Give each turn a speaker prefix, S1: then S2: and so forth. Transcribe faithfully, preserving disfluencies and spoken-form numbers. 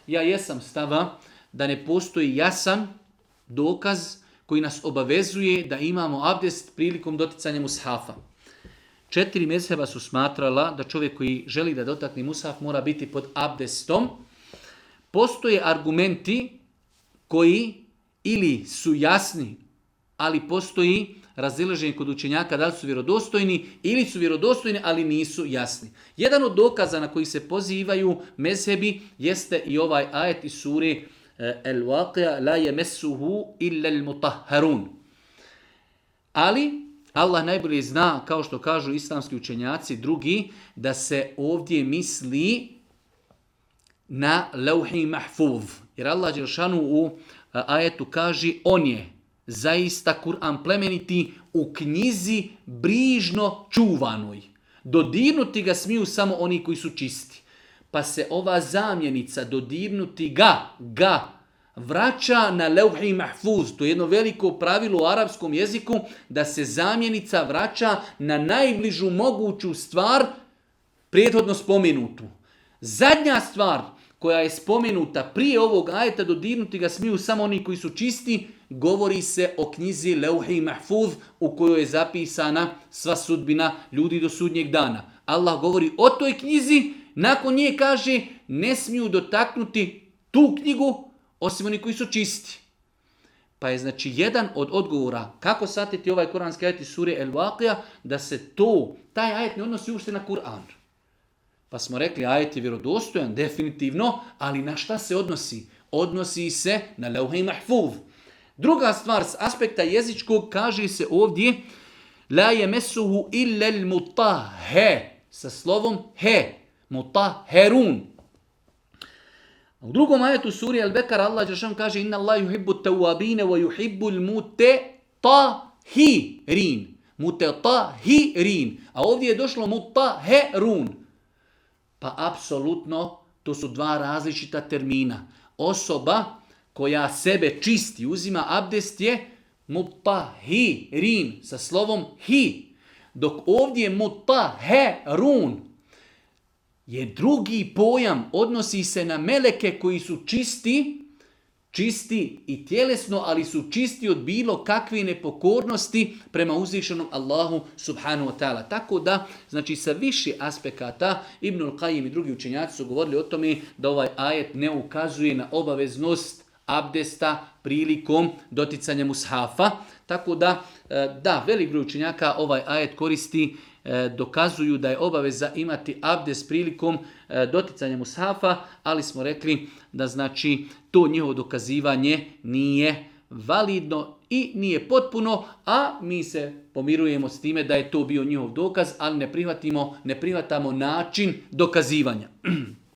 S1: Ja jesam stava da ne postoji jasan dokaz koji nas obavezuje da imamo abdest prilikom doticanja mushafa. Četiri mezheba su smatrala da čovjek koji želi da dotakne mushaf mora biti pod abdestom. Postoje argumenti koji ili su jasni, ali postoji razilaženje kod učenjaka da li su vjerodostojni, ili su vjerodostojni, ali nisu jasni. Jedan od dokaza na koji se pozivaju mezhebi jeste i ovaj ajet iz sure El-Waqia, la yemessuhu illa al-mutahharun. Ali Allah najbolje zna, kao što kažu islamski učenjaci drugi, da se ovdje misli na lauhi mahfuz. Jer Allah dželešanu u ajetu kaže, on je zaista Kur'an plemeniti u knjizi brižno čuvanoj. Dodirnuti ga smiju samo oni koji su čisti. Pa se ova zamjenica dodirnuti ga, ga, vraća na lauhi mahfuz. To je jedno veliko pravilo u arapskom jeziku, da se zamjenica vraća na najbližu moguću stvar prethodno spomenutu. Zadnja stvar koja je spomenuta prije ovog ajeta, dodirnuti ga smiju samo oni koji su čisti, govori se o knjizi Lauhi Mahfuz u kojoj je zapisana sva sudbina ljudi do sudnjeg dana. Allah govori o toj knjizi, nakon nje kaže ne smiju dotaknuti tu knjigu osim oni koji su čisti. Pa je znači jedan od odgovora kako shvatiti ovaj kuranski ajet iz sure El-Waqia, da se to, taj ajet ne odnosi uopšte na Kur'an. Pa smo rekli, ajet je vjerodostojan, definitivno, ali na šta se odnosi? Odnosi se na Lauhi Mahfuz. Druga stvar, s aspekta jezičkog, kaže se ovdje, la yemessuhu illa al-mutahhe, sa slovom he, mutahherun. U drugom ajetu suri Al-Bekara Allah dželešanu kaže, inna Allah yuhibbu at-tawwabina wa yuhibbu al-mutatahirin. Mutatahirin. A ovdje je došlo mutahherun. Pa apsolutno to su dva različita termina. Osoba koja sebe čisti, uzima abdest je mutahirin sa slovom hi. Dok ovdje mutahherun je drugi pojam, odnosi se na meleke koji su čisti, čisti i tjelesno, ali su čisti od bilo kakve nepokornosti prema uzvišenom Allahu subhanahu wa ta'ala. Tako da, znači sa više aspekata, Ibnul Qayyim i drugi učenjaci su govorili o tome da ovaj ajet ne ukazuje na obaveznost abdesta prilikom doticanja mushafa. Tako da, da, velik broj učenjaka ovaj ajet koristi, dokazuju da je obaveza imati abdest prilikom doticanja mushafa, ali smo rekli da znači to njihovo dokazivanje nije validno i nije potpuno, a mi se pomirujemo s time da je to bio njihov dokaz, ali ne prihvatimo, ne prihvatamo način dokazivanja.